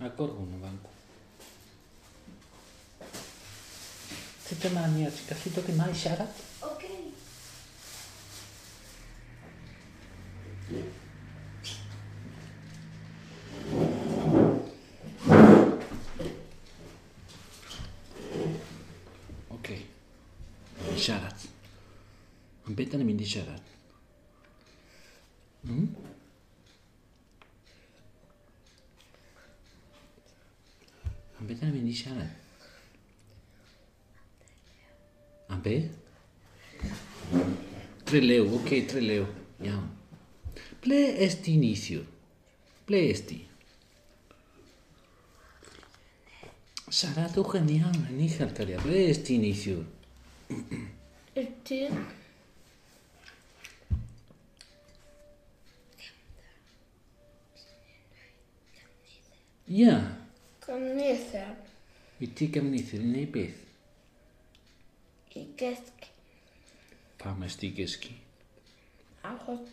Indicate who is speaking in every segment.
Speaker 1: Agor hwn yn fan. Sut yma ni, ti'n gallu dod yma i siarad?
Speaker 2: Oce.
Speaker 1: Oce. I siarad. Am beth da ni'n mynd i siarad? Am beth da ni'n mynd i siarad? Am be? Trelew, oce, okay, Trelew. Iawn. Ble es ti neithiwr? Ble es ti? Siaradwch yn iawn, yn uchel, cariad. Ble es ti neithiwr?
Speaker 2: Y tŷ.
Speaker 1: Ia.
Speaker 2: Cymdeithas.
Speaker 1: I ti gefnithr i wneud beth?
Speaker 2: I gysgu.
Speaker 1: Pam es ti gysgu?
Speaker 2: Achos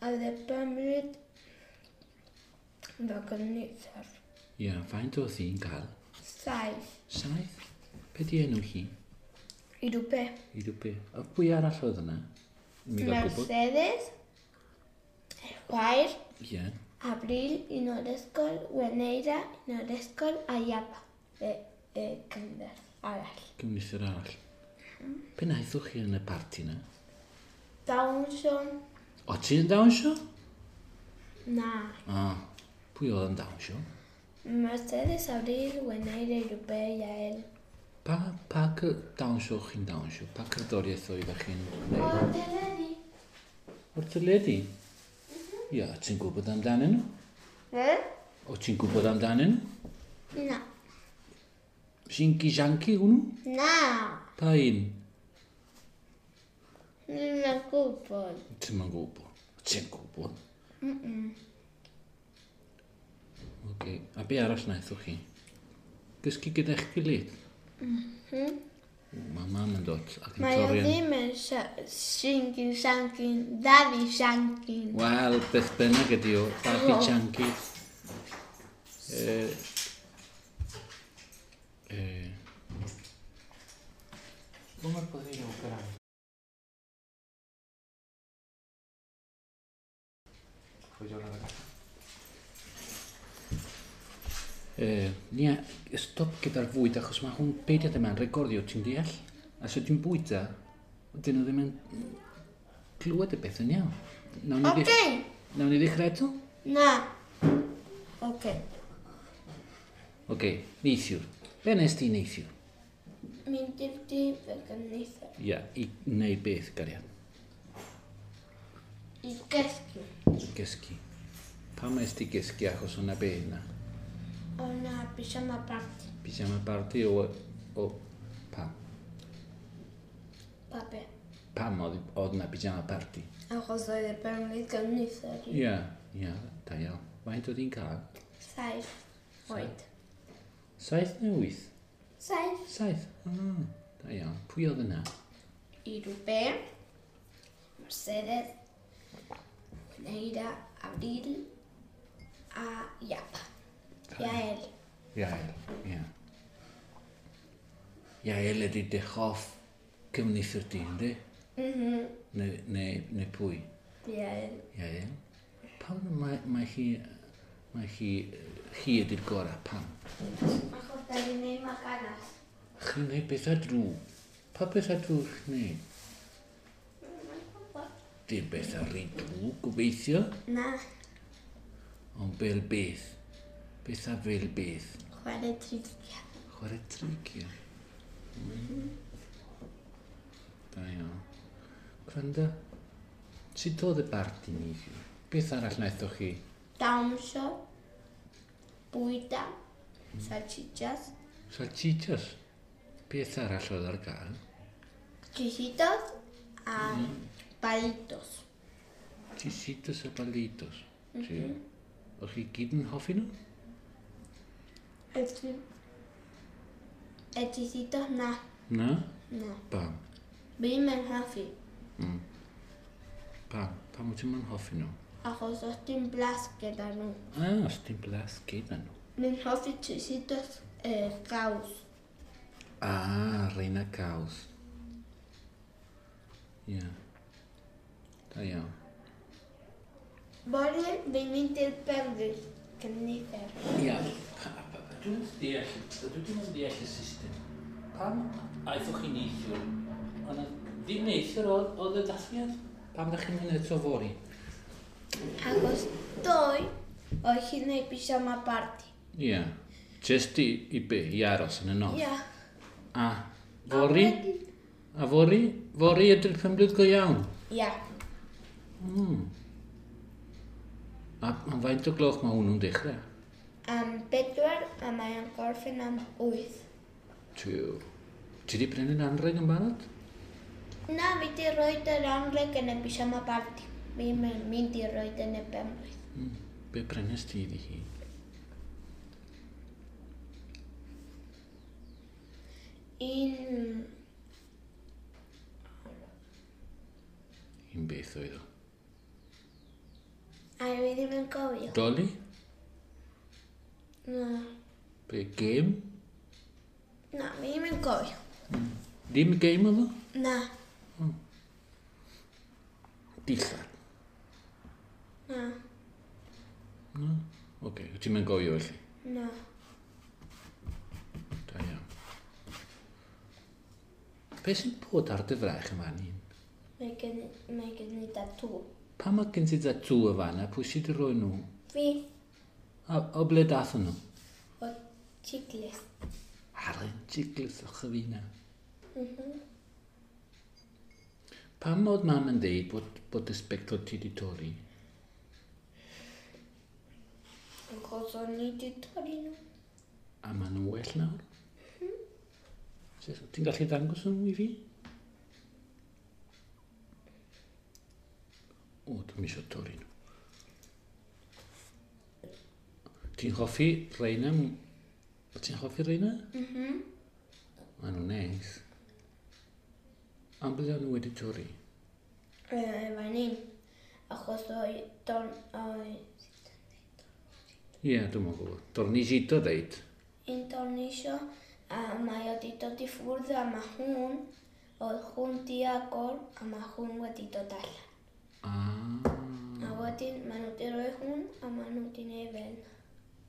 Speaker 2: oedd y bymryd fy cymdeithas.
Speaker 1: Ia, faint oedd hi'n cael?
Speaker 2: 7.
Speaker 1: 7? Be di enw hi?
Speaker 2: Irwbe.
Speaker 1: Irwbe. A pwy arall oedd yna? Mi gael gwybod.
Speaker 2: Mercedes. Chwaer.
Speaker 1: Ie.
Speaker 2: Abril, un o'r ysgol, Weneira, un o'r ysgol, a Iapa, y cymdeithas arall.
Speaker 1: Cymdeithas arall. Be wnaethoch chi yn y parti na?
Speaker 2: Dawnsio.
Speaker 1: O, ti yn dawnsio?
Speaker 2: Na.
Speaker 1: O, pwy oedd yn dawnsio?
Speaker 2: Mercedes, Abril, Weneira, Irwbe, Yael.
Speaker 1: Pa dawnsio chi'n dawnsio? Pa cerddoriaeth oeddech chi'n gwneud?
Speaker 2: O'r teledu.
Speaker 1: O'r teledu? Ia, ti'n gwybod amdanyn nhw?
Speaker 2: E?
Speaker 1: O, ti'n gwybod amdanyn nhw?
Speaker 2: Na.
Speaker 1: Shinky Shanky hwnnw?
Speaker 2: Na.
Speaker 1: Pa un?
Speaker 2: Ddim yn gwybod.
Speaker 1: Ti'n yn gwybod. Ti'n gwybod? Oce, a be arall wnaethoch chi? Gysgu gyda'ch gilydd? Mae mam yn dod ac yn
Speaker 2: Mae o
Speaker 1: torri yn...
Speaker 2: ddim yn Shinky Shanky, Daddy Shanky.
Speaker 1: Wel, beth bynnag ydi o, Daddy Shanky. Come potrei recuperare? Nia, stop gyda'r fwyd achos mae hwn peidiad yma'n recordio, ti'n deall? A so ti'n bwyta, dyn nhw ddim yn clywed y beth yn iawn.
Speaker 2: Oce.
Speaker 1: Nawn ni ddechrau eto?
Speaker 2: Na. Oce.
Speaker 1: Oce, neithiwr. Be nes ti neithiwr?
Speaker 2: Mynd i'r tŷ fy cymdeithas.
Speaker 1: Ia, i wneud beth, gariad?
Speaker 2: I gysgu.
Speaker 1: Gysgu. Pam es ti gysgu achos o'na be yna?
Speaker 2: O'na pyjama party.
Speaker 1: Pyjama party o pam?
Speaker 2: Pa be?
Speaker 1: Pam oedd na pyjama party?
Speaker 2: Achos oedd y penblwydd cymdeithas.
Speaker 1: Ia, ia, da iawn. Faint oedd hi'n cael?
Speaker 2: 7 oed.
Speaker 1: 7 neu 8?
Speaker 2: 7.
Speaker 1: 7? Ah, da iawn. Pwy oedd yna?
Speaker 2: Irwbe, Mercedes, Neira, Abril a Iapa. Yael.
Speaker 1: Yael, ia. Yael ydy dy hoff cymdeithas di, yndi?
Speaker 2: Mhm.
Speaker 1: Neu pwy?
Speaker 2: Yael.
Speaker 1: Yael. Pam mae hi ydy'r gorau, pam?
Speaker 2: Achos da ni'n neud maganas.
Speaker 1: Chi'n neud pethau drwg. Pa pethau drwg chi'n neud? Dim pethau rhy drwg, gobeithio.
Speaker 2: Na.
Speaker 1: Ond fel beth? Pethau fel beth?
Speaker 2: Chwarae trigiau.
Speaker 1: Chwarae trigiau? Da iawn. Gwranda, sut oedd y barti neithiwr? Beth arall wnaethoch chi?
Speaker 2: Dawnsio, bwyta, salchichas.
Speaker 1: Salchichas? Beth arall oedd ar gael?
Speaker 2: Chisitos a palitos.
Speaker 1: Chisitos a palitos. Mm. O'ch chi gyd yn hoffi nhw?
Speaker 2: Y chisitos na.
Speaker 1: Na?
Speaker 2: Na.
Speaker 1: Pam?
Speaker 2: Ddim yn hoffi.
Speaker 1: Pam? Pam wyt ti'n hoffi nhw?
Speaker 2: Achos os dim blas gyda nhw.
Speaker 1: Ah, os dim blas gyda nhw.
Speaker 2: Mi'n hoffi trisitos caws.
Speaker 1: Ah, reina caws. Ie. Yeah. Da iawn.
Speaker 2: Fory, fi'n mynd i'r penblwydd cyfnither.
Speaker 1: Ia. Dwi'n deall, dwi ddim yn deall y system. Pam aethoch chi neithiwr? Ond ddim neithiwr oedd y dathliad? Pam ddech chi'n mynd eto fory?
Speaker 2: Achos ddoe, oedd hi'n neud pyjama party.
Speaker 1: Ie. Yeah. Just i be? I aros yn y nos?
Speaker 2: Ia.
Speaker 1: A fory? A fory? Fory ydy'r penblwydd go iawn?
Speaker 2: Ia.
Speaker 1: A faint o gloch mae hwnnw'n dechrau?
Speaker 2: Am 4 a mae'n gorffen am 8.
Speaker 1: Tiw. Ti di prynu'n anrheg yn barod?
Speaker 2: Na, fi di roed yr anrheg yn y pyjama party. Fi'n mynd i roed yn y penblwydd.
Speaker 1: Be prynes ti iddi hi?
Speaker 2: Un...
Speaker 1: Un beth oedd o?
Speaker 2: A fi ddim yn cofio.
Speaker 1: Dolly?
Speaker 2: Na.
Speaker 1: Be, game?
Speaker 2: Na, fi ddim yn cofio.
Speaker 1: Ddim game oedd o?
Speaker 2: Na.
Speaker 1: Dillad?
Speaker 2: Na.
Speaker 1: Na? Oce, okay. Ti'n mynd gofio felly?
Speaker 2: Na.
Speaker 1: Da iawn. Be sy'n bod ar dy fraich yn fan hyn?
Speaker 2: Mae gen i tatŵ.
Speaker 1: Pam mae gen ti tatŵ y fan a pwy sydd wedi rhoi nhw?
Speaker 2: Fi.
Speaker 1: A o ble dath nhw?
Speaker 2: O Chicles.
Speaker 1: Ar y Chicles o chyfina. Pam oedd mam yn deud bod y sbectol ti wedi torri?
Speaker 2: Achos o'n i wedi torri nhw.
Speaker 1: A maen nhw'n well nawr? Ti'n gallu dangos nhw i fi? O, dwi'n eisiau torri nhw. Ti'n hoffi reina? Ti'n hoffi reina?
Speaker 2: Mhm.
Speaker 1: Maen nhw'n neis. Am bydde nhw wedi torri?
Speaker 2: Fan hyn. Achos oedd don... Oedd...
Speaker 1: Ie, dwi'n mwyn gwybod. Dornisito ddeud.
Speaker 2: Un dornisio a mae o wedi dod i ffwrdd a mae hwn, oedd hwn di agor a mae hwn wedi dod allan.
Speaker 1: Ah.
Speaker 2: A wedyn maen nhw wedi rhoi hwn a maen nhw wedi neud fel.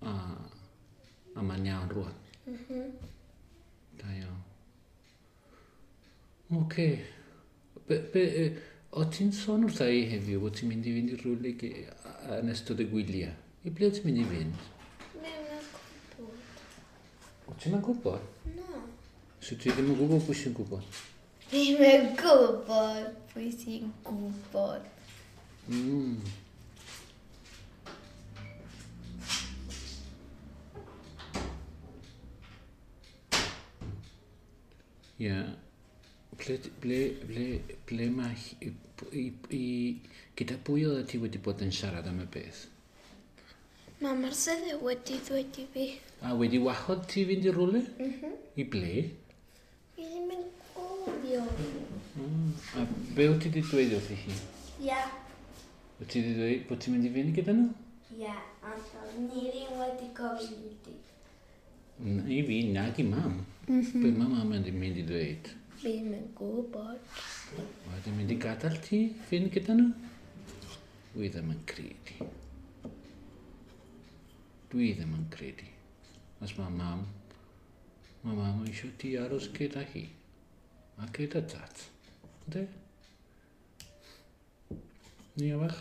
Speaker 1: A mae'n iawn rwan. Da iawn. Oce. O ti'n sôn wrtha i heddiw bod ti'n mynd i fynd i rhywle yn ystod y gwyliau? I ble ti'n mynd i fynd?
Speaker 2: Ddim yn gwybod.
Speaker 1: O ti'n mynd gwybod?
Speaker 2: Na.
Speaker 1: So ti ddim yn gwybod pwy sy'n gwybod?
Speaker 2: Ddim yn gwybod pwy sy'n gwybod.
Speaker 1: Ie. Ble mae... Gyda pwy oedd ti wedi bod yn siarad am y beth?
Speaker 2: Mae Marcelo wedi dweud i fi.
Speaker 1: A wedi wahodd ti fynd i rywle? I ble?
Speaker 2: Fi ddim yn cofio.
Speaker 1: A be wyt ti wedi dweud wrthi hi?
Speaker 2: Ia.
Speaker 1: Wyt ti wedi dweud bod ti'n mynd i fynd gyda nhw?
Speaker 2: Ia, ond ni ddim wedi gofyn i ti.
Speaker 1: I fi, nag i mam. Be mae mam yn mynd i ddweud?
Speaker 2: Fi ddim yn gwybod.
Speaker 1: Wedi mynd i gadael ti fynd gyda nhw? Dwi ddim yn credu. Dwi ddim yn credu. Os mae mam eisiau ti aros gyda hi. A gyda tat. Ynddi? Ni fach?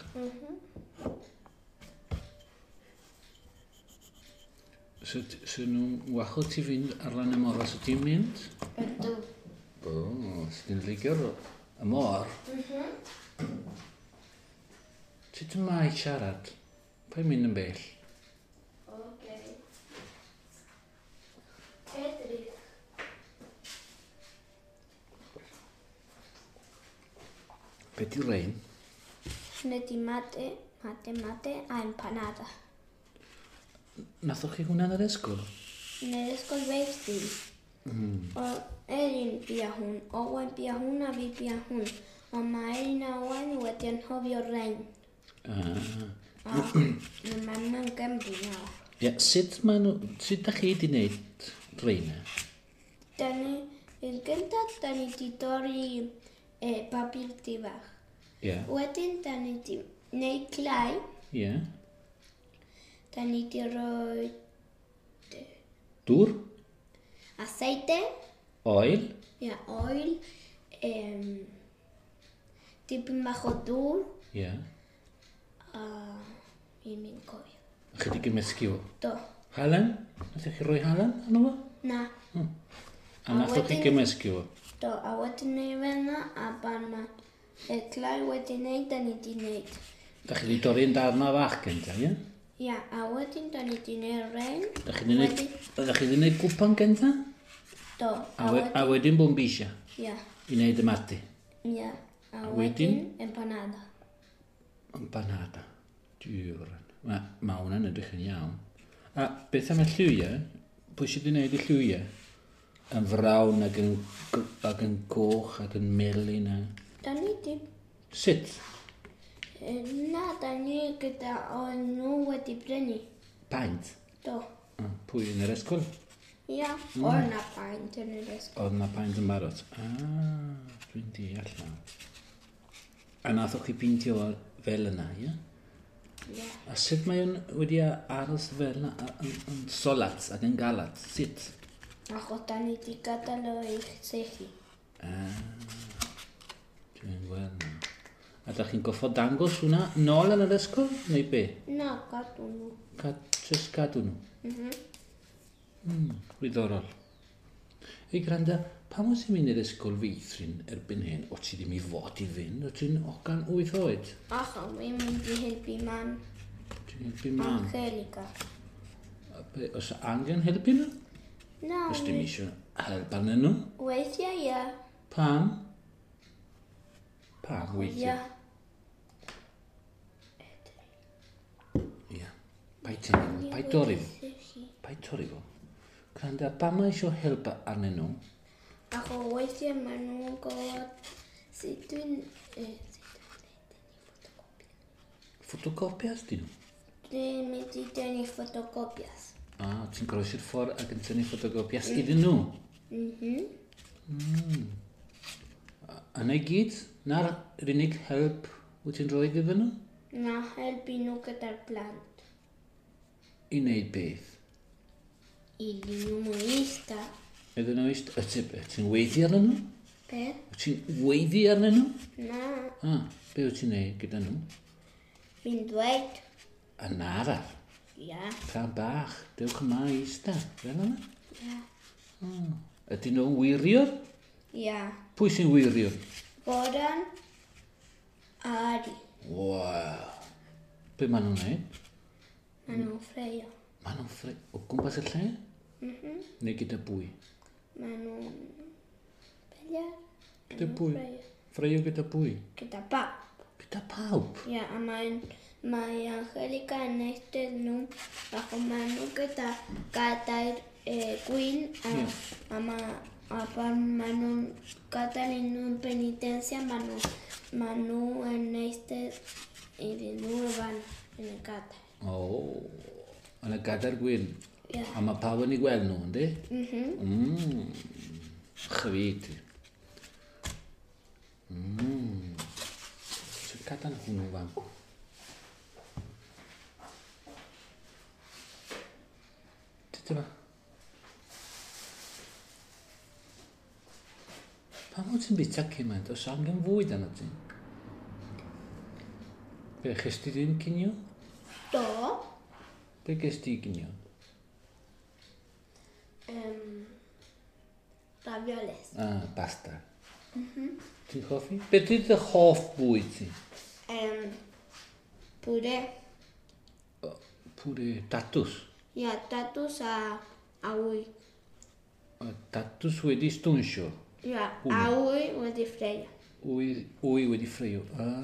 Speaker 1: So nhw'n wahodd ti fynd ar lan y môr os ti'n mynd?
Speaker 2: Ydw.
Speaker 1: O, so ti'n licio'r y môr? Sut mae siarad? Pa'n mynd yn bell?
Speaker 2: Oce. Edrych.
Speaker 1: Be di rein?
Speaker 2: Hynny di mate, mate, mate a empanada.
Speaker 1: Nathoch chi hwnna yn yr ysgol?
Speaker 2: Yn yr ysgol feistri. O Elin bia hwn, Owen bia hwn a fi bia hwn. Ond mae Elin a Owen wedi anghofio rein.
Speaker 1: Ah.
Speaker 2: A mae'n mewn Gymru nawr.
Speaker 1: Ie, sut ma nhw, sut da chi wedi wneud reina?
Speaker 2: Da ni, yn gyntaf, da ni wedi dorri papur di fach.
Speaker 1: Ie.
Speaker 2: Wedyn, da ni wedi wneud clai.
Speaker 1: Ie.
Speaker 2: Da ni wedi rhoi
Speaker 1: Dŵr?
Speaker 2: Aceite.
Speaker 1: Oil?
Speaker 2: Ia, oil. Dipyn bach o dŵr.
Speaker 1: Ie.
Speaker 2: A fi'n mynd cofio.
Speaker 1: A chi wedi gymysgu fo?
Speaker 2: Do.
Speaker 1: Halen? Nath chi roi halen arno fo?
Speaker 2: Na.
Speaker 1: A nath chi gymysgu fo?
Speaker 2: Do, a wedyn neud fel 'na, a pan mae y clai wedi wneud, da ni wedi wneud.
Speaker 1: Da chi wedi dorri'n darnau fach gynta, ie?
Speaker 2: Ia, a wedyn da ni wedi wneud rein.
Speaker 1: Da chi wedi wneud, da chi wedi wneud gwpan gynta?
Speaker 2: Do.
Speaker 1: A wedyn bombisha?
Speaker 2: Ia.
Speaker 1: I wneud y mati?
Speaker 2: Ia. A wedyn empanada.
Speaker 1: Empanada. Diwran. Mae hwnna'n edrych yn iawn. A beth am y lliwiau? Pwy sydd wedi wneud y lliwiau? Yn frown ac yn goch ac yn melyn.
Speaker 2: Da ni di...
Speaker 1: Sut?
Speaker 2: Na, da ni gyda o'n nhw wedi brynu.
Speaker 1: Paent?
Speaker 2: Do.
Speaker 1: Pwy yn yr ysgol?
Speaker 2: Ia, oedd na paent yn yr ysgol.
Speaker 1: Oedd na paent yn barod. Ah, dwi'n deall nawr. A nathoch chi peintio fel yna, ie?
Speaker 2: Ie.
Speaker 1: A sut mae o'n wedi aros fel yna, yn solat ac yn galat? Sut?
Speaker 2: Achos da ni wedi gadael o i sychu.
Speaker 1: Ah, dwi'n gweld nawr. A da chi'n goffod dangos hwnna nôl yn yr ysgol, neu be?
Speaker 2: Na, gadw nhw.
Speaker 1: Just gadw nhw? Mhm. Diddorol. Ei, gwranda, pam oes ti'n mynd i'r ysgol feithrin erbyn hyn? O ti ddim i fod i fynd, o ti'n hogan 8 oed?
Speaker 2: Achos fi'n mynd i helpu mam.
Speaker 1: Ti'n helpu mam?
Speaker 2: Angelica.
Speaker 1: Oes angen helpu nhw?
Speaker 2: Na.
Speaker 1: Oes dim eisiau help arnyn nhw?
Speaker 2: Weithiau, ia.
Speaker 1: Pam? Pam weithiau?
Speaker 2: Ia.
Speaker 1: Ia. Paid tynnu fo, paid torri fo. Paid torri fo. Gwranda, pam mae eisiau help arnyn nhw?
Speaker 2: Achos weithiau maen nhw'n gwybod sut dwi'n sut dwi'n dynnu ffotocopias.
Speaker 1: Ffotocopias dyn nhw?
Speaker 2: Dwi'n mynd i dynnu ffotocopias.
Speaker 1: Ah, ti'n groesi'r ffordd ac yn tynnu ffotocopias iddyn nhw?
Speaker 2: Mhm.
Speaker 1: A na i gyd? Na'r unig help wyt ti'n rhoi iddyn nhw?
Speaker 2: Na, helpu nhw gyda'r plant.
Speaker 1: I wneud beth?
Speaker 2: Iddyn nhw eista.
Speaker 1: Iddyn nhw eist... Wyt ti'n weiddi arnyn nhw?
Speaker 2: Be?
Speaker 1: Wyt ti'n weiddi arnyn nhw?
Speaker 2: Na.
Speaker 1: Ah, be wyt ti'n neud gyda nhw?
Speaker 2: Fi'n dweud.
Speaker 1: Yn araf.
Speaker 2: Ia.
Speaker 1: Plant bach, dewch yma i eista. Fel yna?
Speaker 2: Ia.
Speaker 1: Ydyn nhw'n wiriwr?
Speaker 2: Ia.
Speaker 1: Pwy sy'n wiriwr?
Speaker 2: Goran a Ari.
Speaker 1: Waw. Be maen nhw'n neud?
Speaker 2: Maen nhw'n ffreio.
Speaker 1: Maen nhw'n ffreio o gwmpas y lle?
Speaker 2: Mhm.
Speaker 1: Neu gyda bwy?
Speaker 2: Maen nhw'n peliar.
Speaker 1: Gyda bwy? Ffreio gyda bwy?
Speaker 2: Gyda pawb.
Speaker 1: Gyda pawb?
Speaker 2: Ia, a mae Angelica yn eistedd nhw, ac maen nhw gyda gadair gwyn, a pan maen nhw'n gadael i nhw'n penitencia, maen nhw yn eistedd iddyn nhw fan yn y gadair.
Speaker 1: O, yn y gadair gwyn.
Speaker 2: Ia.
Speaker 1: A mae pawb yn ei gweld nhw, yndi?
Speaker 2: Mhm.
Speaker 1: Chwi ti. Sut gadael hwnnw fan? Tyd yma. Pam wyt ti'n bita cymaint? Oes angen fwyd arno ti? Be, ches ti ddim cinio?
Speaker 2: Do.
Speaker 1: Be ges ti ginio?
Speaker 2: Ravioles.
Speaker 1: Ah, pasta. Ti'n hoffi? Beth ydy dy hoff bwyd ti?
Speaker 2: Puré.
Speaker 1: Puré tatws.
Speaker 2: Ia, tatws a wy.
Speaker 1: Tatws wedi stwnsio.
Speaker 2: Ia, a wy wedi ffreio.
Speaker 1: Wy wedi ffreio. Ah.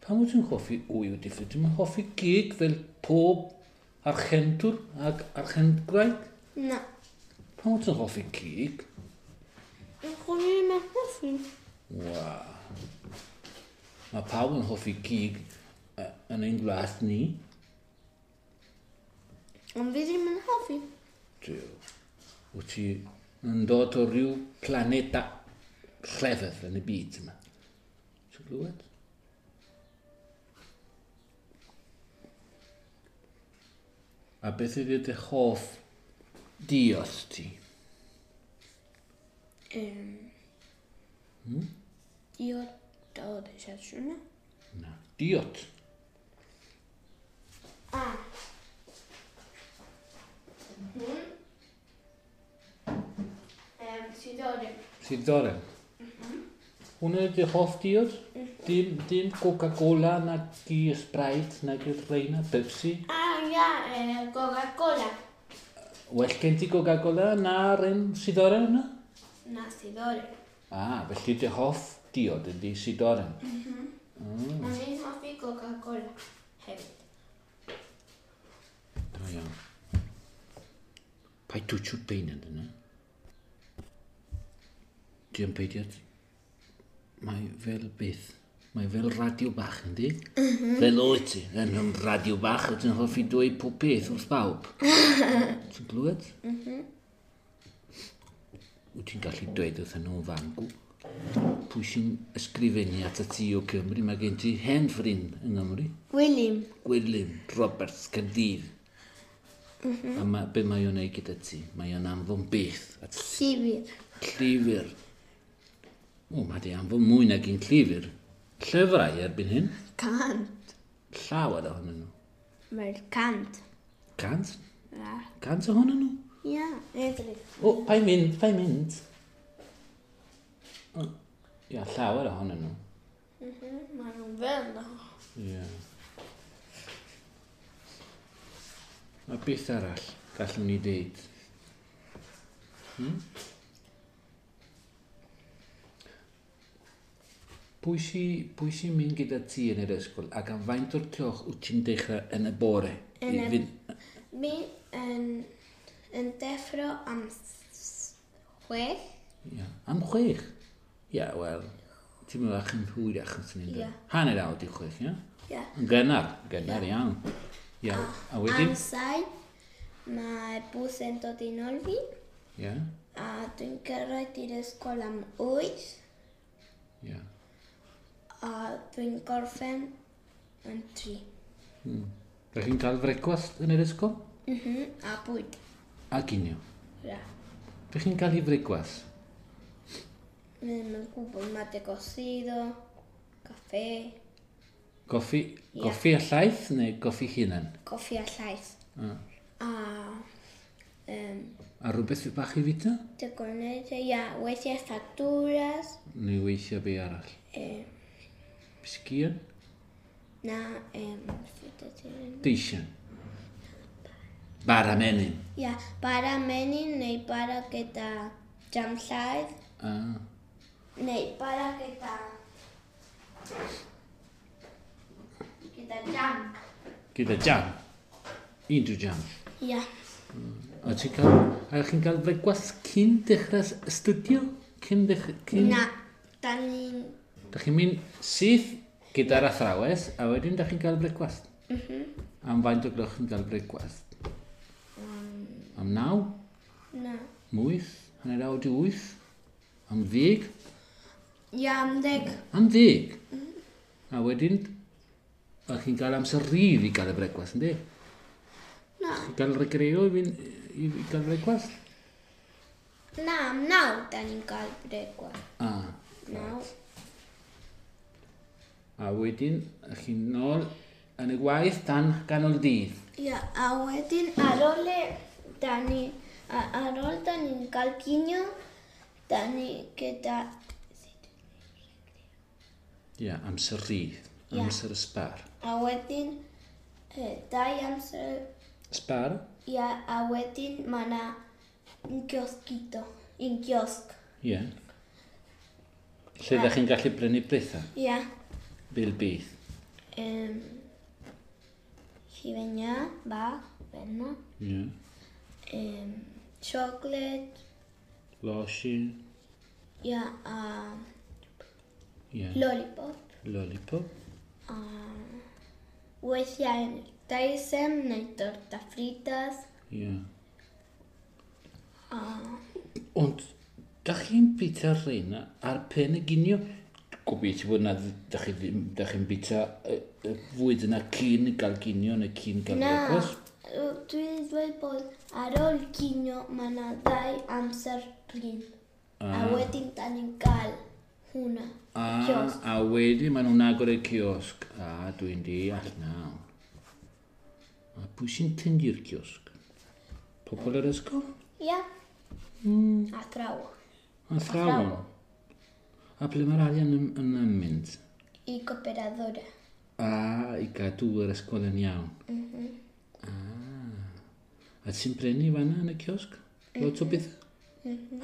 Speaker 1: Pam wyt ti'n hoffi wy wedi ffreio? Ti'n hoffi gig fel pob archentwr ac archentgraig?
Speaker 2: Na.
Speaker 1: Pam wyt ti'n hoffi cig?
Speaker 2: Chwn i ddim yn hoffi.
Speaker 1: Waw. Mae pawb yn hoffi cig yn ein gwlad ni.
Speaker 2: Ond fi ddim yn hoffi.
Speaker 1: Duw. Wyt ti yn dod o ryw planeta rhyfedd yn y byd yma. Ti'n glywed? A beth ydy dy hoff diod ti?
Speaker 2: Diod o ddesiwn.
Speaker 1: Na. Diod?
Speaker 2: A. Hwn. Sidoren.
Speaker 1: Sidoren. Hwna ydy hoff diod? Dim Coca-Cola, na di Sprite, na di reina, Pepsi.
Speaker 2: Ah, ia, Coca-Cola.
Speaker 1: Well gen ti Coca-Cola na'r un sidoren yna?
Speaker 2: Na, sidoren.
Speaker 1: Ah, felly dy hoff diod ydy sidoren.
Speaker 2: Ond fi'n hoffi Coca-Cola hefyd.
Speaker 1: Da iawn. Paid twtsio'r beuned yna. Dwi'n peidio. Mae fel beth. Mae fel radio bach, yndi? Fel oed ti. Yn yn radio bach, wyt ti'n hoffi dweud pob peth wrth bawb. Ti'n glywed? Wyt ti'n gallu dweud wrth nhw fangw. Pwy sy'n ysgrifennu at y ti o Cymru? Mae gen ti hen ffrind yng Nghymru.
Speaker 2: William.
Speaker 1: Gwilym Roberts Caerdydd. A ma, be mae o'n neud gyda ti? Mae o'n anfon beth at
Speaker 2: Llyfr.
Speaker 1: llyfr. O, mae di anfon mwy nag un llyfr. Llyfrau erbyn hyn.
Speaker 2: 100.
Speaker 1: Llawer ohonyn nhw.
Speaker 2: Mae'r 100.
Speaker 1: 100?
Speaker 2: Ia.
Speaker 1: 100 ohonyn nhw?
Speaker 2: Ia, edrych.
Speaker 1: O, pa'n mynd, pa'n mynd. O, ia, llawer ohonyn nhw.
Speaker 2: Mae nhw'n fel na.
Speaker 1: Ie. A beth arall gallwn ni ddeud? Pwy sy'n mynd gyda ti yn yr ysgol ac am faint o'r cloch wyt ti'n dechrau yn y bore?
Speaker 2: Yn y- Mi yn deffro am 6.
Speaker 1: Ia, am 6? Ia, wel, ti'n mynd bach yn hwyrach yn sy'n
Speaker 2: Ie.
Speaker 1: 5:30, ia?
Speaker 2: Ia.
Speaker 1: Yn gynnar iawn. Ia, a wedyn?
Speaker 2: Am 7, mae bws yn dod i nôl fi.
Speaker 1: Ia,
Speaker 2: A dwi'n cyrraedd i'r ysgol am 8.
Speaker 1: ia.
Speaker 2: A dwi'n gorffen yn 3.
Speaker 1: Dach chi'n cael frecwast yn yr ysgol?
Speaker 2: A bwyd.
Speaker 1: A ginio.
Speaker 2: Ia.
Speaker 1: Dach chi'n cael ei frecwast?
Speaker 2: Ddim yn gwybod, mate cocido, café,
Speaker 1: Goffi,
Speaker 2: Ie.
Speaker 1: goffi a llaeth neu goffi hunan?
Speaker 2: coffi a llaeth.
Speaker 1: A,
Speaker 2: A
Speaker 1: a rhywbeth bach i fita?
Speaker 2: te con leche, ia, weithiau facturas,
Speaker 1: Neu weithiau be arall? Bisgion?
Speaker 2: na,
Speaker 1: Deisian? Bara menyn?
Speaker 2: ia, bara menyn neu bara gyda jam llaeth,
Speaker 1: A,
Speaker 2: neu bara gyda jam.
Speaker 1: gyda jam? Unrhyw jam?
Speaker 2: Ia,
Speaker 1: A ti'n cael, a chi'n cael frecwast cyn dechrau astudio? Cyn dechrau, cyn...
Speaker 2: na, da ni'n,
Speaker 1: Da chi'n mynd syth gyda'r athrawes, a wedyn da chi'n cael brecwast. Am faint o gloch chi'n cael brecwast? Am 9?
Speaker 2: na,
Speaker 1: 8? 8:30? Am 10?
Speaker 2: ia, am 10.
Speaker 1: Am 10? A wedyn, a chi'n cael amser rhydd i gael y brecwast, yndi?
Speaker 2: Na,
Speaker 1: Chi'n cael recreo i, fynd, i gael brecwast?
Speaker 2: na, am 9 da ni'n cael brecwast.
Speaker 1: A,
Speaker 2: 9.
Speaker 1: a wedyn, a chi'n nôl yn y gwaith tan ganol dydd.
Speaker 2: Ia, a wedyn ar ôl da ni, ar ôl da ni'n cael cinio, da ni gyda,
Speaker 1: Ia, amser rhydd,
Speaker 2: Ie.
Speaker 1: amser sbar.
Speaker 2: a wedyn dau amser,
Speaker 1: Sbar?
Speaker 2: ia, a wedyn mae yna un kiosquito, un kiosg.
Speaker 1: Ie. Lle ydych chi'n gallu brynu bethau?
Speaker 2: Ia,
Speaker 1: Fel beth?
Speaker 2: Hufen bach, fel
Speaker 1: Ie.
Speaker 2: Chocolate,
Speaker 1: Losin.
Speaker 2: ia, a
Speaker 1: Ie.
Speaker 2: lollipop.
Speaker 1: Lollipop.
Speaker 2: A weithiau deisen neu torta fritas.
Speaker 1: Ie.
Speaker 2: A
Speaker 1: Ond, da chi'n bita rheina ar pen y ginio? Gobeithio bod na, da chi ddim, da chi'n bita y fwyd yna cyn gael ginio neu cyn gael
Speaker 2: Na,
Speaker 1: brecwast?
Speaker 2: Dwi'n dweud bod ar ôl cinio mae yna ddau amser rhin. A wedyn da ni'n gael hwnna.
Speaker 1: A,
Speaker 2: Kiosk.
Speaker 1: a wedyn maen nhw'n agor y kiosg. A dwi'n deall nawr. A pwy sy'n tyndu'r kiosg? Pobl yr ysgol?
Speaker 2: Ia. Athrawon.
Speaker 1: Athrawon. A ble mae'r arian yn mynd?
Speaker 2: I cooperadora.
Speaker 1: A i gadw yr ysgol yn iawn. A ti'n brynu fanna yn y kiosg? Lot o beth?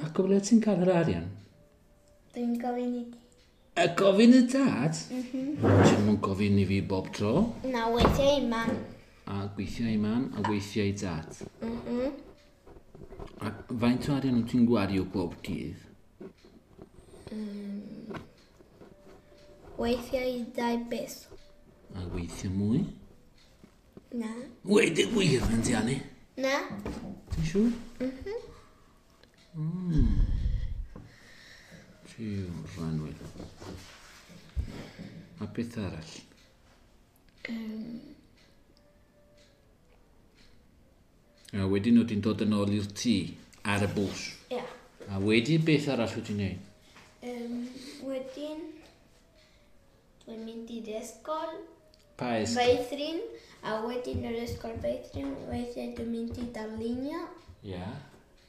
Speaker 1: Ac o ble ti'n cael yr arian?
Speaker 2: Dwi'n gofyn i ti.
Speaker 1: A gofyn y dad? Ti'n mwyn gofyn i fi bob tro?
Speaker 2: Na, weithiau i mam.
Speaker 1: A gweithio i mam, a weithio i dad. A faint o arian wyt ti'n gwario bob dydd?
Speaker 2: Weithiau i 2 peso.
Speaker 1: A weithio mwy?
Speaker 2: Na.
Speaker 1: Weud y gwir yn Diani.
Speaker 2: Na.
Speaker 1: Ti'n siŵr? Mhm. Ti'n rhanwyl. A beth arall? A wedyn wyt ti'n dod yn ôl i'r tŷ ar y bws.
Speaker 2: Ia.
Speaker 1: A wedyn beth arall wyt ti'n neud?
Speaker 2: Wedyn, dwi'n mynd i'r ysgol
Speaker 1: Pa ysgol?
Speaker 2: feithrin, a wedyn yr ysgol feithrin, weithiau dwi'n mynd i darlunio,
Speaker 1: Ia.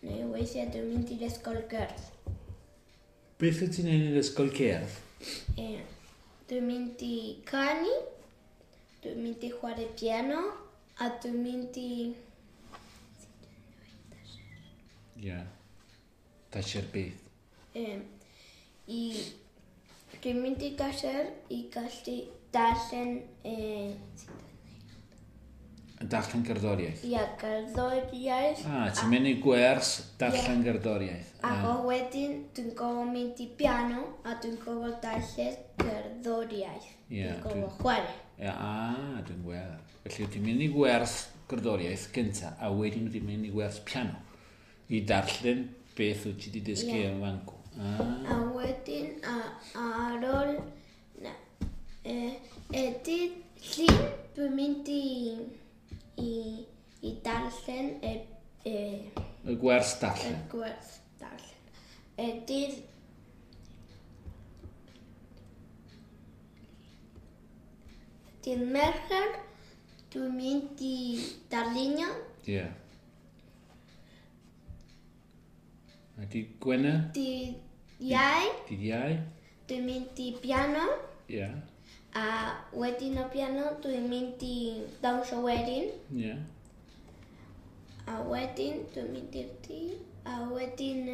Speaker 2: neu weithiau dwi'n mynd i'r ysgol gerdd.
Speaker 1: Beth wyt ti'n neud yn yr ysgol cerdd?
Speaker 2: E, dwi'n mynd i canu, dwi'n mynd i chwarae piano, a dwi'n mynd i...
Speaker 1: Ia. Taller beth?
Speaker 2: E, i dwi'n mynd i taller i gallu darllen
Speaker 1: Darllen gerddoriaeth.
Speaker 2: ia, gerddoriaeth.
Speaker 1: A, ti'n mynd i gwers darllen gerddoriaeth.
Speaker 2: Ac o wedyn dwi'n gofod mynd i piano a dwi'n gofod darllen gerddoriaeth.
Speaker 1: Ie,
Speaker 2: Dwi'n gofod chwarae.
Speaker 1: Ia, a, dwi'n gweld. Felly, ti'n mynd i gwers gerddoriaeth gynta, a wedyn ti'n mynd i gwers piano i darllen beth wyt ti wedi dysgu
Speaker 2: Ie.
Speaker 1: yn fan'cw. A,
Speaker 2: A wedyn a ar ôl na, dydd Llun dwi'n mynd i darllen
Speaker 1: y gwers
Speaker 2: y
Speaker 1: darllen.
Speaker 2: gwers darllen. Dydd Mercher dwi'n mynd i darlunio.
Speaker 1: Ie. A di Gwener?
Speaker 2: Dydd Iau
Speaker 1: Dydd Iau?
Speaker 2: dwi'n mynd i piano.
Speaker 1: Ie.
Speaker 2: A wedyn o piano dwi'n mynd i dawnsio wedyn.
Speaker 1: Ie.
Speaker 2: A wedyn dwi'n mynd i'r tŷ. A wedyn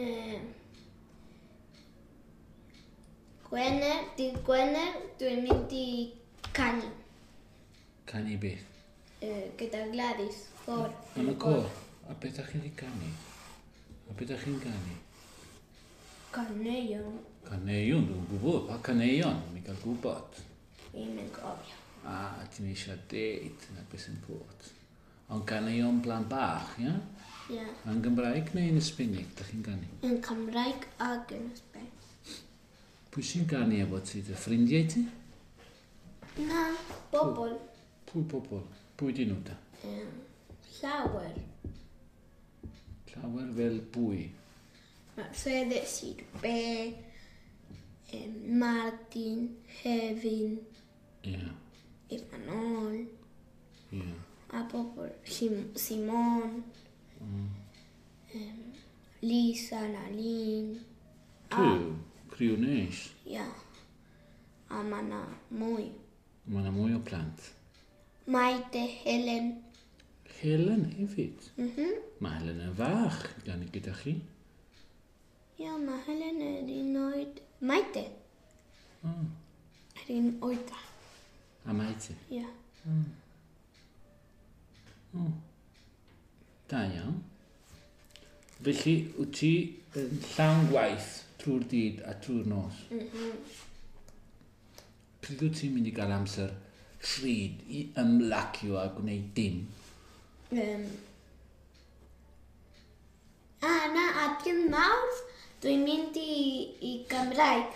Speaker 2: Gwener, dydd Gwener, dwi'n mynd i canu
Speaker 1: Canu beth?
Speaker 2: Gyda Gladys, côr.
Speaker 1: Yn y côr. A beth ydych chi'n ei canu? A beth ydych chi'n canu?
Speaker 2: Caneuon,
Speaker 1: Caneuon, dwi'n gwybod. Pa caneuon? Mi gael gwybod.
Speaker 2: Ddim yn cofio.
Speaker 1: A, ti'n eisiau deud na beth sy'n bod. Ond caneuon blant bach, ia?
Speaker 2: Ie.
Speaker 1: Yn Gymraeg neu yn Sbeinig, ydych chi'n canu?
Speaker 2: Yn Cymraeg ac yn Sbaen.
Speaker 1: Pwy sy'n canu efo ti? Dy ffrindiau ti?
Speaker 2: Na, bobl.
Speaker 1: Pwy bobl? Pwy di nhw da?
Speaker 2: Llawer.
Speaker 1: Llawer fel pwy?
Speaker 2: Mercedes, Sirbe, Martin, Hefin,
Speaker 1: Ie,
Speaker 2: Imanol,
Speaker 1: ie.
Speaker 2: a bobl, Simon, Lisa, Nalin,
Speaker 1: Criw, criw neis.
Speaker 2: ia. A mae yna mwy.
Speaker 1: Mae yna mwy o plant.
Speaker 2: Maite, Helen.
Speaker 1: Helen hefyd. Mae Helen yn fach gan gyda chi.
Speaker 2: Ia, mae Helen yr un oed. Maite. Yr un oed.
Speaker 1: A Maite.
Speaker 2: Ia.
Speaker 1: Da iawn. Felly, wyt ti yn llawn gwaith trwy'r dydd a trwy'r nos? Pryd wyt ti'n mynd i gael amser rhyd i ymlacio a gwneud dim?
Speaker 2: A na, a dydd Mawrth, dwi'n mynd i Gymraeg.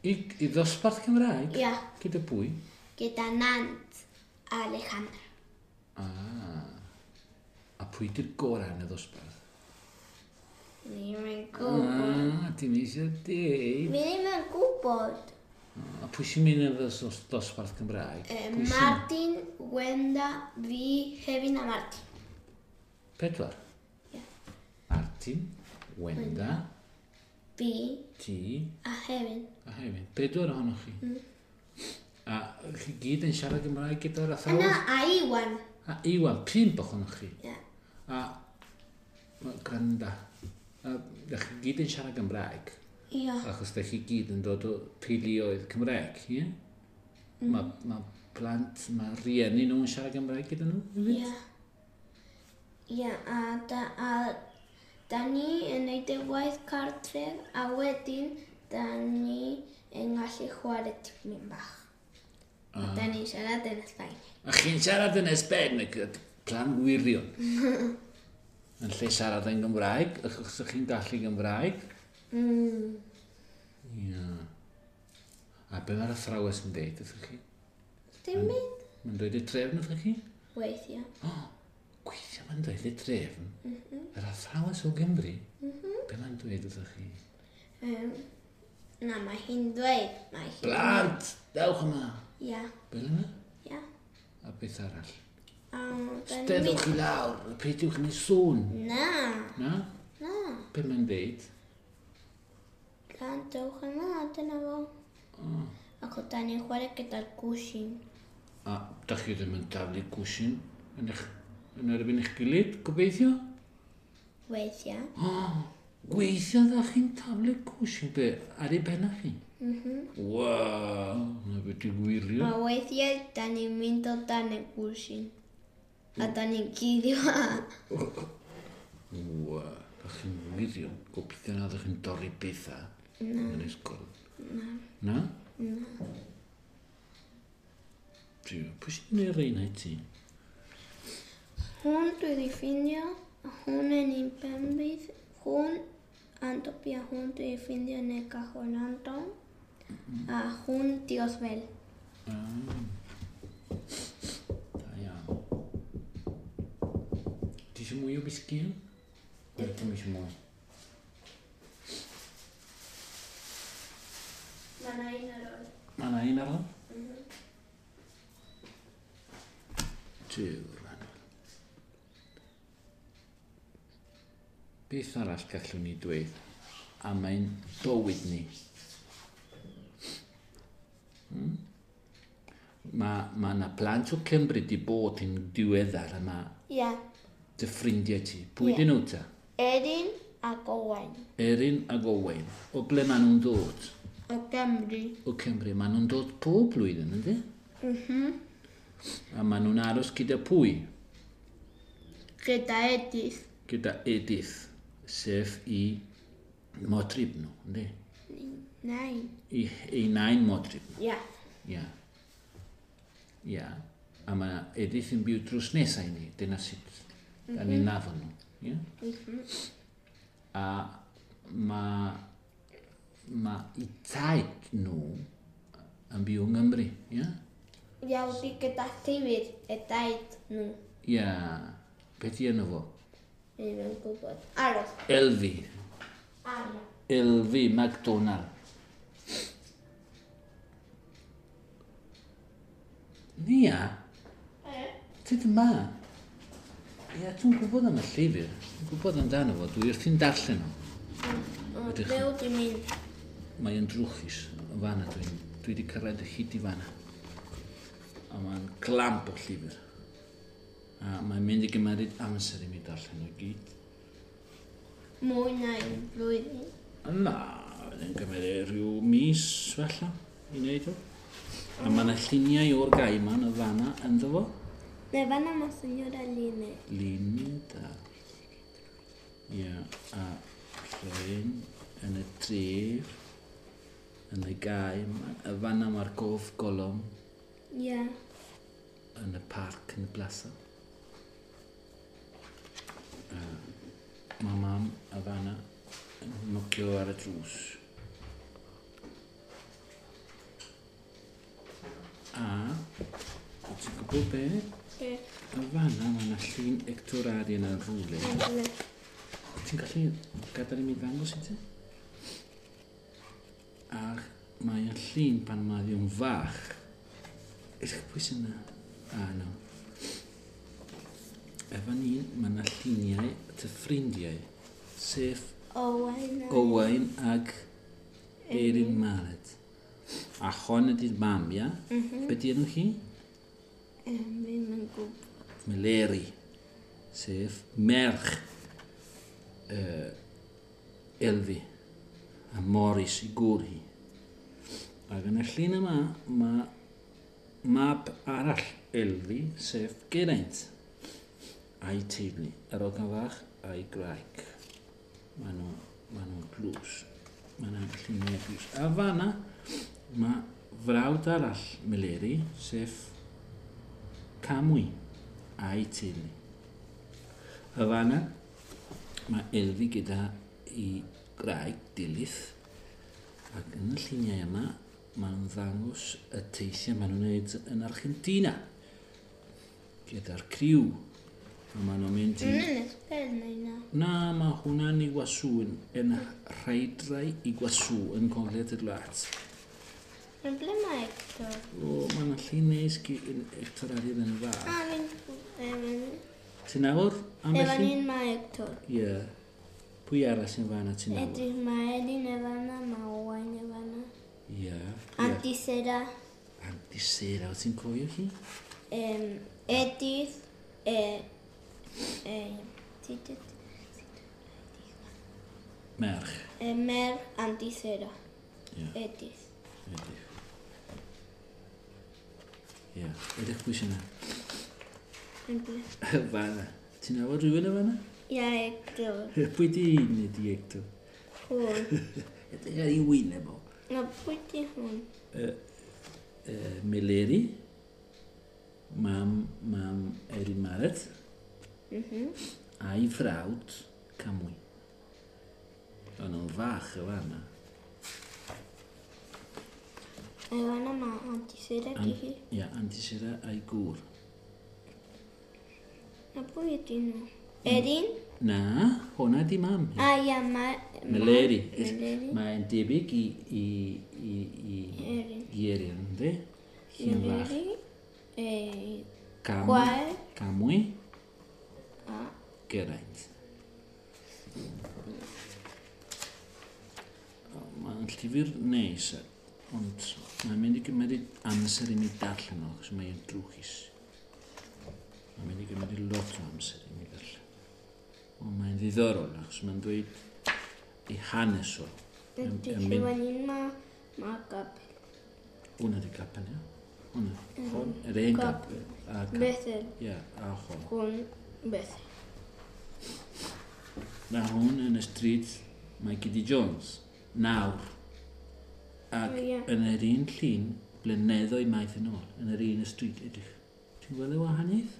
Speaker 1: I ddosbarth Cymraeg?
Speaker 2: Ia.
Speaker 1: Gyda pwy?
Speaker 2: Gyda Nant a Alejandra.
Speaker 1: Ah. A pwy di'r gorau yn y ddosbarth?
Speaker 2: Ddim yn gwybod.
Speaker 1: Ah, ti'n eisiau deud?
Speaker 2: Mi ddim yn gwybod.
Speaker 1: A pwy sy'n mynd yn y dosbarth Cymraeg?
Speaker 2: Martin, Wenda, fi, Hefin a Martin.
Speaker 1: 4?
Speaker 2: Ie.
Speaker 1: Martin, Wenda,
Speaker 2: Fi
Speaker 1: ti
Speaker 2: a Hefin.
Speaker 1: a Hefin. 4 ohonoch chi. A chi gyd yn siarad Gymraeg gyda'r athrawes?
Speaker 2: Na, a Iwan.
Speaker 1: A Iwan, 5 ohonoch chi.
Speaker 2: Ie.
Speaker 1: A gwranda. A da chi gyd yn siarad Gymraeg.
Speaker 2: Ia.
Speaker 1: Achos da chi gyd yn dod o teuluoedd Cymraeg, ie? Mae plant, mae rhieni nhw'n siarad Gymraeg gyda nhw, hefyd?
Speaker 2: Ia. Ia, a da ni yn neud y waith cartref, a wedyn da ni yn gallu chwarae tipyn bach. A da ni'n siarad yn Sbaeneg.
Speaker 1: A chi'n siarad yn Sbaeneg, plan gwirion. Yn lle siarad yn Gymraeg, achos chi'n gallu Gymraeg. Ia. A be mae'r athrawes yn deud wrthych chi?
Speaker 2: Dim byd.
Speaker 1: Mae'n dweud y trefn wrthych chi?
Speaker 2: Weithiau.
Speaker 1: O, gweithio mae'n dweud y trefn. Yr athrawes o Gymru, be mae'n dweud wrthych chi?
Speaker 2: Na, mae hi'n dweud. Mae hi'n...
Speaker 1: Plant, dewch yma.
Speaker 2: Ia,
Speaker 1: Fel yna?
Speaker 2: ia.
Speaker 1: A beth arall?
Speaker 2: A da ni'n
Speaker 1: Steddwch
Speaker 2: mynd...
Speaker 1: i lawr, peidiwch ni sŵn.
Speaker 2: Na,
Speaker 1: Na?
Speaker 2: na.
Speaker 1: Be mae'n dweud?
Speaker 2: Plant, dewch yma, dyna fo. Ac o da ni'n chwarae gyda'r gwsin.
Speaker 1: A da chi ddim yn taflu gwsin yn erbyn eich gilydd, gobeithio?
Speaker 2: Weithiau.
Speaker 1: O, gweithio dda chi'n taflu gwsin, be, ar ei penna chi? Waw, na beth i gwirio.
Speaker 2: A weithiau, da ni'n mynd o dan y gwsin. A da ni'n cuddio.
Speaker 1: Waw, da chi'n wirio. Gobeithio na ddech chi'n dorri pethau yn yr ysgol. Na. Na? Na. Pwy sy'n gwneud rheina i ti?
Speaker 2: Hwn dwi wedi ffindio, a hwn yn un penbydd, hwn Antopi a hwn dwi wedi ffindio yn y cajón Anton, a hwn Diosbel.
Speaker 1: Da iawn. Ti eisiau mwy o bisgyn? Neu ti'n eisiau mwy?
Speaker 2: Mae yna un ar ôl.
Speaker 1: Mae yna un ar ôl? Duw, Rhan. Beth arall gallwn ni dweud am ein bywyd ni? Mae yna plant o Cymru di bod yn diweddar yma
Speaker 2: Ia.
Speaker 1: dy ffrindiau ti. Pwy
Speaker 2: Ie.
Speaker 1: dyn nhw ta?
Speaker 2: Erin ac Owain.
Speaker 1: Erin ac Owain. O ble maen nhw'n dod?
Speaker 2: O Gymru.
Speaker 1: O Cymru. Maen nhw'n dod pob blwyddyn, ynddi? A maen nhw'n aros gyda pwy?
Speaker 2: Gyda Edith.
Speaker 1: Gyda Edith, sef i modryb nhw, ynddi?
Speaker 2: Nain.
Speaker 1: I nain modryb nhw.
Speaker 2: Ia.
Speaker 1: Ia. Ia. A mae Edith yn byw drws nesau i ni, dyna sut da ni'n nafod nhw. Ia? A mae i taid nhw yn byw yng Nghymru, ia?
Speaker 2: Ia, wedi gyda llyfr y daid nhw.
Speaker 1: Ia. Be di enw fo?
Speaker 2: Ddim yn gwybod. Aros.
Speaker 1: Elfi.
Speaker 2: Aros.
Speaker 1: Elfi MacDonald. Nia, ti yma. Ia, dwi'n gwybod am y llyfr. Dwi'n gwybod amdano fo. Dwi wrthi'n darllen o. Ydych
Speaker 2: Ble wyt ti'n mynd?
Speaker 1: Mae yn drwchus. Yn fanna dwi wedi cyrraedd y hyd i fanna. A mae'n glamp o llyfr. A mae'n mynd i gymeryd amser i mi darllen o gyd.
Speaker 2: Mwy na un blwyddyn.
Speaker 1: Na, yn gymryd rhyw mis falle i wneud o. A mae yna lluniau o'r gae yma yn y fanna ynddo fo.
Speaker 2: Ne fanna mae señora Linnet.
Speaker 1: Luned a... Ia, a llun yn y dref, yn y gae yma. Y fanna mae'r gof golwm
Speaker 2: Ia.
Speaker 1: yn y parc yn y plaza. Mae mam mam a fanna yn nocio ar y drws. A, ti'n gwybod be?
Speaker 2: Be?
Speaker 1: Y fanna mae yna llun Hector Arian yn rhywle. Ti'n gallu gadael i mi ddangos i ti? Ac mae yn llun pan mae o'n fach. Ydych pwy sy'n yna? A, no. Efo ni, mae yna lluniau ty ffrindiau, sef
Speaker 2: Owain.
Speaker 1: Owain ag Erin Mared. A hon ydy'r mam, ia? Mm -hmm. Be di enw hi?
Speaker 2: Ddim yn gwybod.
Speaker 1: Meleri, sef merch Elfi a Morris i gŵr hi. Ac yn y llun yma, mae mab arall Elfi, sef Geraint, a'i teulu, yr ogan fach a'i graig. Maen nhw'n glws. Mae yna lluniau glws. A fanna, mae frawd arall Meleri, sef Camwy, a'i teulu. A fanna, mae Elfi gyda i graig Dilith, ac yn y lluniau yma, maen nhw'n ddangos y teithiau maen nhw'n gwneud yn Argentina gyda'r criw. A maen nhw'n mynd i...
Speaker 2: Hwnna'n ysbryd neu na?
Speaker 1: Na, mae hwnna'n Iguazu, yn rhaedrau Iguazu yn gogledd y wlad.
Speaker 2: Yn ble mae Hector?
Speaker 1: O, mae yna llun neis Hector Arian yn fach.
Speaker 2: A, fi'n...
Speaker 1: Ti'n nabod ambell
Speaker 2: Efo
Speaker 1: un?
Speaker 2: ni'n mae Hector.
Speaker 1: Ie. Pwy arall sy'n fanna ti'n nabod?
Speaker 2: Edrych, mae Elin efo na, mae Owain efo na.
Speaker 1: Ie.
Speaker 2: Auntie Sarah,
Speaker 1: Auntie Sarah, wyt ti'n cofio hi?
Speaker 2: Edith,
Speaker 1: Merch.
Speaker 2: Mer Auntie Sarah.
Speaker 1: Ie.
Speaker 2: Edith.
Speaker 1: Edrych. Ie. Edrych pwy sy'n yna.
Speaker 2: Yn ble?
Speaker 1: Fanna. Ti'n nabod rhywun o fanna?
Speaker 2: Ia, Hector.
Speaker 1: Pwy di un ydi Hector?
Speaker 2: Hwn.
Speaker 1: Edrych ar ei wyneb o.
Speaker 2: Na, pwy di hwn?
Speaker 1: Meleri, mam Erin Maret, a'i frawd Camwy. O'n nhw'n fach y fanna.
Speaker 2: Efo na mae Auntie Sarah di hi.
Speaker 1: Ia, Auntie Sarah a'i gŵr.
Speaker 2: Na, pwy ydi nhw? Erin?
Speaker 1: Na, hwnna di mam.
Speaker 2: A, ia, mae...
Speaker 1: Meleri.
Speaker 2: Meleri.
Speaker 1: Mae'n debyg i
Speaker 2: Erin.
Speaker 1: i Erin, yndi? Hi'n fach.
Speaker 2: Meleri.
Speaker 1: Camwy.
Speaker 2: Gwael.
Speaker 1: Camwy.
Speaker 2: A.
Speaker 1: Geraint. Mae'n llyfr neis, ond mae'n mynd i gymryd amser i mi darllen o, achos mae'n drwchus. Mae'n mynd i gymryd lot o amser i mi darllen. Ond mae'n ddiddorol, achos mae'n dweud ei hanes o.
Speaker 2: Edrych, efo ni'n mae gapel.
Speaker 1: Hwna di capel, ia? Hwna. Hwn, yr un
Speaker 2: Capel.
Speaker 1: capel. A capel.
Speaker 2: Bethel.
Speaker 1: Ia, a hwn.
Speaker 2: Hwn, Bethel.
Speaker 1: Na hwn yn y stryd mae Giddy Jones, nawr. Ac
Speaker 2: O, ie.
Speaker 1: yn yr un llun, blynyddoedd maith yn ôl, yn yr un y stryd, edrych. Ti'n gweld y wahaniaeth?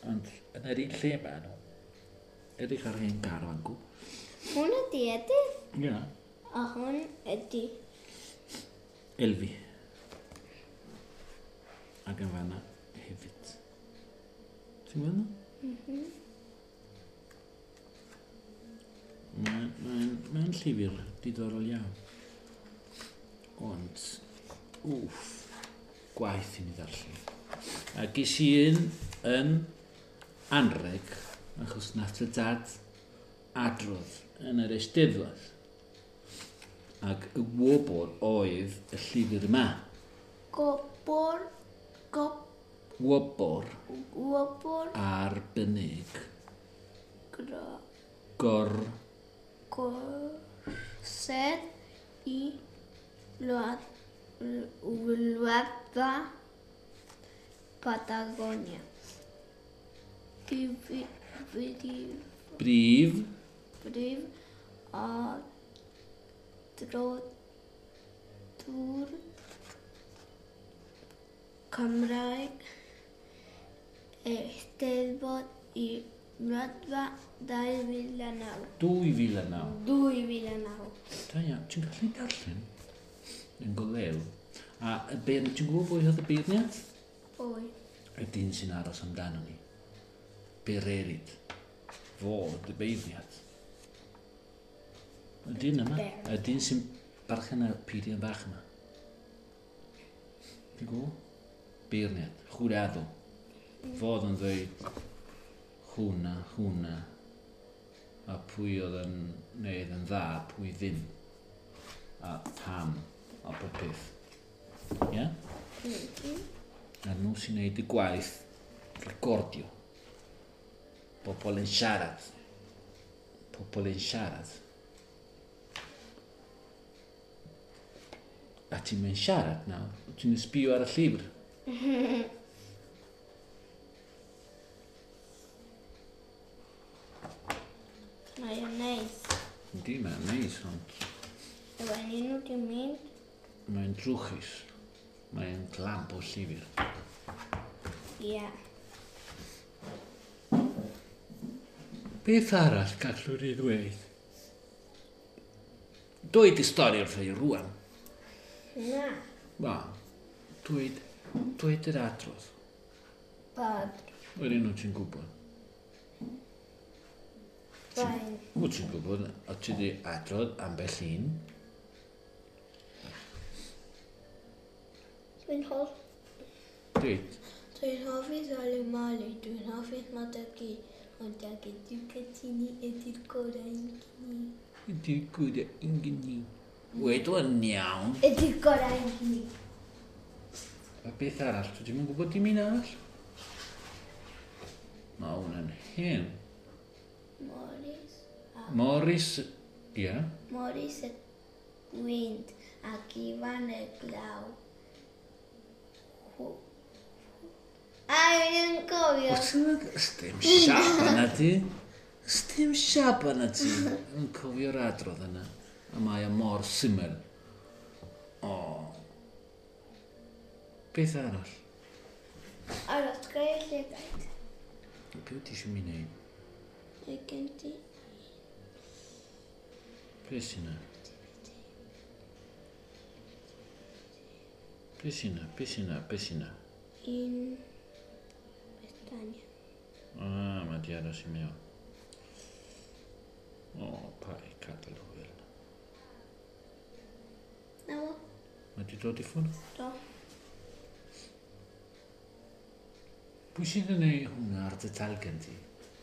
Speaker 1: Ond yn yr un lle ma nhw. Edrych ar hen gar fan gww.
Speaker 2: Hwn ydi Edith.
Speaker 1: Ie.
Speaker 2: A hwn ydi...
Speaker 1: Elfi. Ac yn fanna hefyd. Ti'n gweld nhw? Mae'n llyfr diddorol iawn. Ond, wff, gwaith i mi ddarllen. A ges i un yn anreg, achos nath y dad adrodd yn yr Eisteddfod. Ac y wobr oedd y llyfr yma.
Speaker 2: Gobor...
Speaker 1: Wobr
Speaker 2: Gwobr...
Speaker 1: arbennig
Speaker 2: Gro...
Speaker 1: gor
Speaker 2: Gorsedd i Wladfa Patagonia. Brif
Speaker 1: brif
Speaker 2: brif adroddwr Cymraeg Eisteddfod i Wladfa 2009.
Speaker 1: 2009.
Speaker 2: 2009.
Speaker 1: Da iawn, ti'n gallu darllen? Yn golew. A y beirniad, ti'n gwybod pwy oedd y beirniad?
Speaker 2: Pwy?
Speaker 1: Y dyn sy'n aros amdano ni. Bererid. Fo y beirniad. Y dyn yma. Y dyn sy'n barchen y peiriant bach yma. Ti'n gwybod? Beirniad. Jurado. Fod yn dweud hwnna, hwnna, a pwy oedd yn neud yn dda, pwy ddim, a pam, a pob peth. Ie? Yeah? A nhw sy'n neud y gwaith recordio. Pobl yn siarad. Pobl yn siarad. A ti'n mynd siarad nawr, ti'n sbio ar y llyfr.
Speaker 2: Mae o'n neis.
Speaker 1: Yndi, mae'n neis, ond
Speaker 2: Efo nhw wedi mynd.
Speaker 1: mae'n drwchus. Mae'n clamp o llyfr.
Speaker 2: Ie.
Speaker 1: Beth arall gallwn ni ddweud? Dweud y stori wrtho i rwan.
Speaker 2: Na.
Speaker 1: Na. Dweud, dweud yr adrodd.
Speaker 2: Bad.
Speaker 1: Wedyn nhw ti'n gwybod.
Speaker 2: Fain.
Speaker 1: Wyt ti'n gwybod, o ti wedi adrodd ambell un.
Speaker 2: Dwi'n hoff.
Speaker 1: Dweud,
Speaker 2: Dwi'n hoffi Sali Mali, dwi'n hoffi Madagi, ond ag ydyw Cytini ydy'r gorau i gni.
Speaker 1: ydy'r gorau yn gynni. Wed o'n iawn.
Speaker 2: Ydy'r gorau i gni.
Speaker 1: A beth arall, dwi ddim yn gwybod dim un arall. Mae hwn yn hen.
Speaker 2: Morris. A
Speaker 1: Morris, ie. Yeah.
Speaker 2: Morris y gwynt ac Ifan y glaw. A dwi'n cofio.
Speaker 1: Sdim siap yna ti. Sdim siap yna ti. Yn cofio'r adrodd yna. A mae o mor syml. O. Beth arall?
Speaker 2: Aros, gael llygaid.
Speaker 1: Be wyt ti eisiau mi wneud?
Speaker 2: Mae gen ti.
Speaker 1: Be sy'n yna? Be sy'n yna? Be sy'n yna? Be sy'n yna?
Speaker 2: Un pestanya.
Speaker 1: A, mae di aros i mewn. O, pa i gadael hwyl.
Speaker 2: Na fo.
Speaker 1: Mae di dod i ffwrdd?
Speaker 2: Do.
Speaker 1: Pwy sydd yn ei hwnna ar dy talgan ti?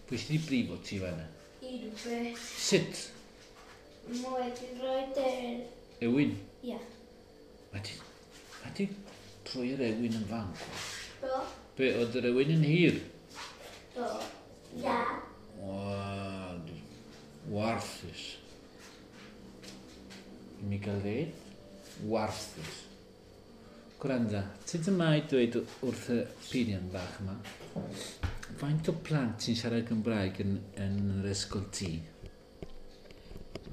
Speaker 1: Pwy sydd wedi brifo ti fan'na?
Speaker 2: Un beth.
Speaker 1: Sut?
Speaker 2: Mae wedi rhoi yr...
Speaker 1: Ewin?
Speaker 2: Ia.
Speaker 1: Mae di... Mae di troi yr ewin yn fan.
Speaker 2: Do.
Speaker 1: Be, oedd yr ewin yn hir?
Speaker 2: Do. Ia.
Speaker 1: Wel, warthus. I mi gael ddeud? Warthus. Gwranda, sut yma i dweud wrth y peiriant bach yma? Faint o plant sy'n siarad Gymraeg yn yr ysgol ti?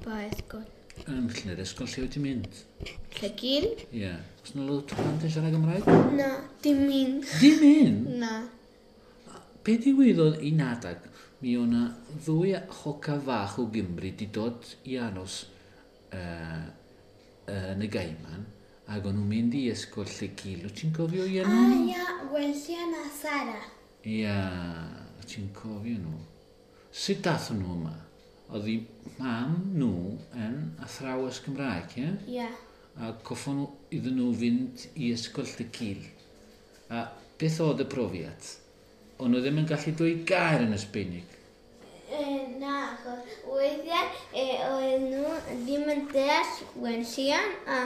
Speaker 2: Pa ysgol?
Speaker 1: Yn yr ysgol lle wyt ti'n mynd?
Speaker 2: Llygil?
Speaker 1: Ie. Yeah. Oes yna lot o plant yn siarad Gymraeg?
Speaker 2: Na, dim un.
Speaker 1: Dim un?
Speaker 2: Na.
Speaker 1: Be digwyddodd un adag, mi o'na ddwy hoca fach o Gymru di dod i aros yn y Gaiman, ac o'n nhw'n mynd i ysgol Llegil. Wyt ti'n cofio i
Speaker 2: A
Speaker 1: enw?
Speaker 2: ia, Welsian a Sara.
Speaker 1: Ia, ti'n cofio nhw. Sut dath nhw yma? Oedd i mam nhw yn athrawes Gymraeg, ie?
Speaker 2: Ia.
Speaker 1: A coffon nhw iddyn nhw fynd i ysgol Llegil. A beth oedd y profiad? O'n nhw ddim yn gallu dweud gair yn y Sbeinig.
Speaker 2: Na, achos weithiau oedd nhw ddim yn deall Wenllian a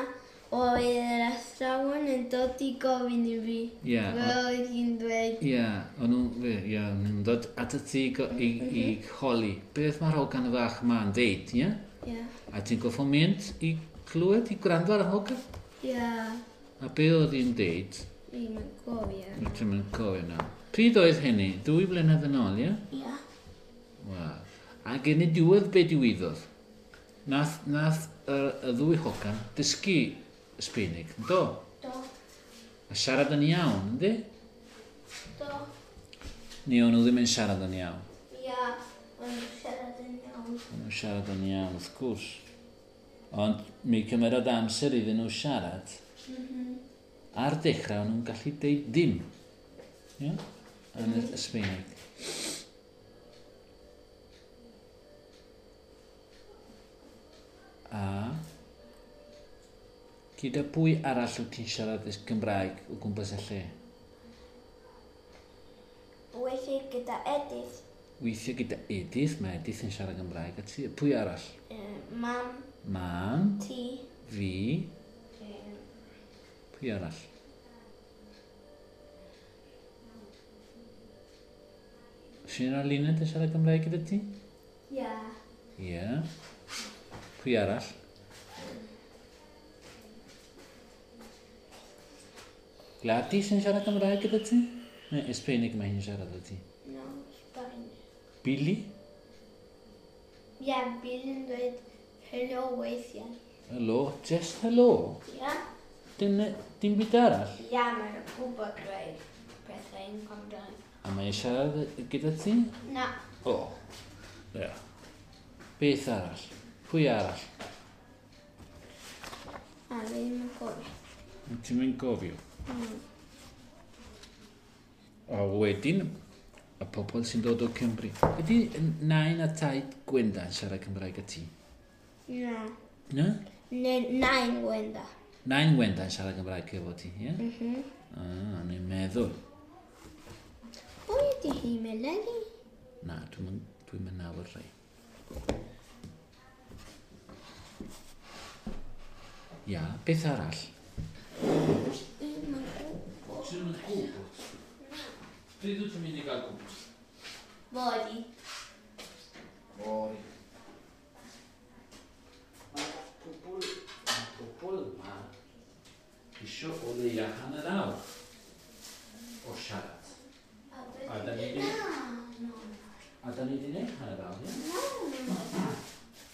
Speaker 2: oedd yr athrawon yn dod i gofyn i fi.
Speaker 1: Ie,
Speaker 2: Fel oedd hi'n dweud.
Speaker 1: Ie, o'n nhw'n ie, o'n nhw'n dod at y ti i holi. Beth mae'r hogan fach yma'n deud, ie?
Speaker 2: Ie.
Speaker 1: A ti'n goffo mynd i clywed, i gwrando ar y hogan?
Speaker 2: Ie.
Speaker 1: A be oedd hi'n deud?
Speaker 2: Fi'n yn gofio.
Speaker 1: Wyt ti'n mynd cofio nawr. Pryd oedd hynny? 2 blynedd yn ôl, ie?
Speaker 2: Ie.
Speaker 1: Wel. Ac yn y diwedd be digwyddodd? Nath y ddwy hogan dysgu Sbeinig, do?
Speaker 2: Do.
Speaker 1: A siarad yn iawn, yndi?
Speaker 2: Do.
Speaker 1: Neu o'n nhw ddim yn siarad yn iawn.
Speaker 2: Ia. Maen nhw'n siarad yn iawn.
Speaker 1: Maen nhw'n siarad yn iawn, wrth gwrs. Ond mi cymerodd amser iddyn nhw siarad. Ar dechrau, o'n nhw'n gallu deud dim. Ie? Yn y Sbaeneg. A gyda pwy arall wyt ti'n siarad y Gymraeg o gwmpas y lle?
Speaker 2: Weithiau gyda Edith.
Speaker 1: Weithiau gyda Edith, mae Edith yn siarad Gymraeg. A ti, pwy arall?
Speaker 2: Mam.
Speaker 1: Mam.
Speaker 2: Ti.
Speaker 1: Fi. Pwy arall? Sian a Luned yn siarad Gymraeg gyda ti?
Speaker 2: Ia.
Speaker 1: Ie. Pwy arall? Gladys yn siarad Gymraeg gyda ti? Neu Esbeinig mae hi'n siarad gyda ti?
Speaker 2: No, Sbaeneg.
Speaker 1: Billy?
Speaker 2: Ia, Billy'n dweud helo weithiau.
Speaker 1: Helo? Just helo?
Speaker 2: Ia.
Speaker 1: Dim byd arall?
Speaker 2: Ia, mae'n gwybod dweud pethau yn Gymraeg.
Speaker 1: A mae'n siarad gyda ti?
Speaker 2: Na.
Speaker 1: O, ia. Beth arall? Pwy arall?
Speaker 2: A fi ddim yn gofio.
Speaker 1: Ti'n mynd gofio? A wedyn, y pobl sy'n dod o Cymru. Ydy nain a taid Gwenda yn siarad Cymraeg â ti?
Speaker 2: Na.
Speaker 1: Na?
Speaker 2: Neu nain Gwenda.
Speaker 1: Nain Gwenda yn siarad Cymraeg efo ti, ie? Mm. Ah, ni'n meddwl.
Speaker 2: Pwy ydy hi, Melanie?
Speaker 1: Na, dwi'n mynd nabod rhai. Ia, beth arall?
Speaker 2: Dwi'm yn gwybod.
Speaker 1: Ti'n mynd gwybod? Pryd wyt ti'n mynd i gael gwybod?
Speaker 2: Fory.
Speaker 1: Fory. Mae pobl yma isio o leia 1.5 awr o siarad. A da ni wedi gwneud 1.5 awr, ie?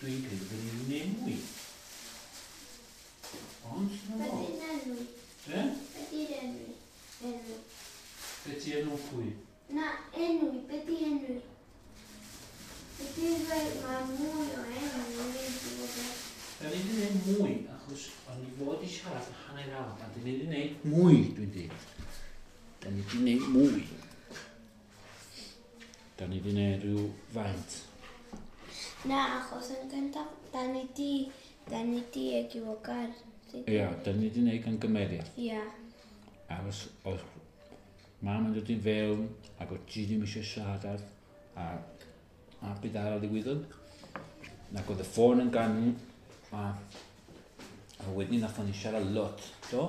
Speaker 1: Dwi'n credu bod ni wedi gwneud mwy. Ond, na
Speaker 2: Be
Speaker 1: fo.
Speaker 2: di'n enw?
Speaker 1: Be?
Speaker 2: Be di'r enw? Enw.
Speaker 1: Be ti enw pwy?
Speaker 2: Na, enw, be di enw? Be di'n dweud mae mwy o enw yn mynd i fod yn...
Speaker 1: Da ni wedi gwneud mwy, achos o'n i fod i siarad 1.5 awr, a da ni wedi gwneud mwy, dwi'n dweud. Da ni wedi gwneud mwy. Da ni wedi gwneud rhyw faint.
Speaker 2: Na, achos yn gyntaf, da ni di egiwogar.
Speaker 1: Ia, da ni wedi gwneud gan gymeriad.
Speaker 2: Ia.
Speaker 1: A os mam yn dod i fewn, ac o ti ddim eisiau siarad, a beth arall ddigwyddodd. Ac oedd y ffôn yn ganu, a wedyn nathon ni siarad lot, do?